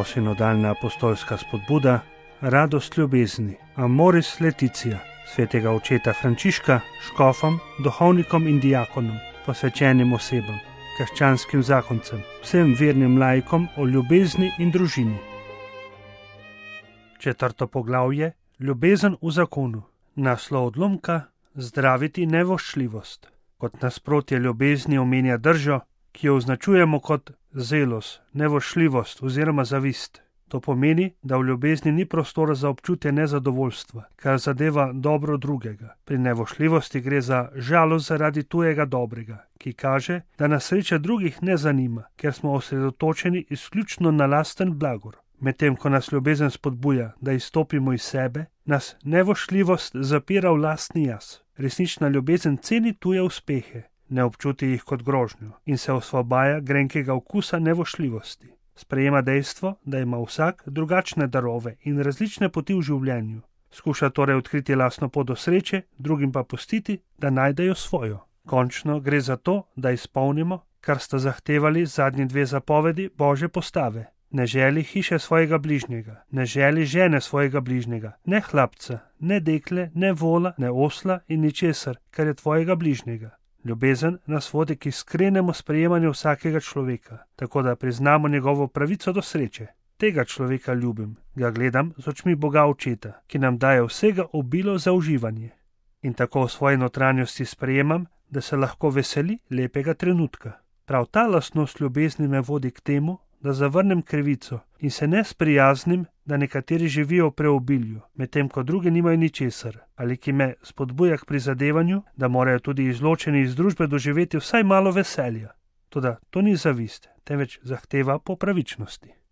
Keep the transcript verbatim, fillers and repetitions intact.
Posinodalna apostolska spodbuda, radost ljubezni, Amoris Laetitia, svetega očeta Frančiška, škofom, duhovnikom in diakonom, posvečenim osebam, krščanskim zakoncem, vsem vernim laikom o ljubezni in družini. Četrto poglavje, ljubezen v zakonu. Naslov odlomka, zdraviti nevoščljivost. Kot nasprotje ljubezni omenja držo, ki jo označujemo kot zelos, nevoščljivost oziroma zavist. To pomeni, da v ljubezni ni prostora za občutje nezadovoljstva, kar zadeva dobro drugega. Pri nevoščljivosti gre za žalost zaradi tujega dobrega, ki kaže, da nas sreča drugih ne zanima, ker smo osredotočeni izključno na lasten blagor. Medtem ko nas ljubezen spodbuja, da izstopimo iz sebe, nas nevoščljivost zapira v lastni jaz. Resnična ljubezen ceni tuje uspehe, ne občuti jih kot grožnjo in se osvobaja grenkega okusa nevoščljivosti. Sprejema dejstvo, da ima vsak drugačne darove in različne poti v življenju. Skuša torej odkriti lastno pot do sreče, drugim pa pustiti, da najdejo svojo. Končno gre za to, da izpolnimo, kar sta zahtevali zadnji dve zapovedi Božje postave. Ne želi hiše svojega bližnjega, ne želi žene svojega bližnjega, ne hlapca, ne dekle, ne vola, ne osla in ničesar, kar je tvojega bližnjega. Ljubezen nas vodi k iskrenemu sprejemanju vsakega človeka, tako da priznamo njegovo pravico do sreče. Tega človeka ljubim, ga gledam z očmi Boga Očeta, ki nam daje vsega obilo za uživanje. In tako v svoji notranjosti sprejemam, da se lahko veseli lepega trenutka. Prav ta lastnost ljubezni me vodi k temu, da zavrnem krivico in se ne sprijaznim, da nekateri živijo v preobilju, medtem ko drugi nimajo ničesar, ali ki me spodbuja k prizadevanju, da morajo tudi izločeni iz družbe doživeti vsaj malo veselja. Toda to ni zavist, temveč zahteva po pravičnosti.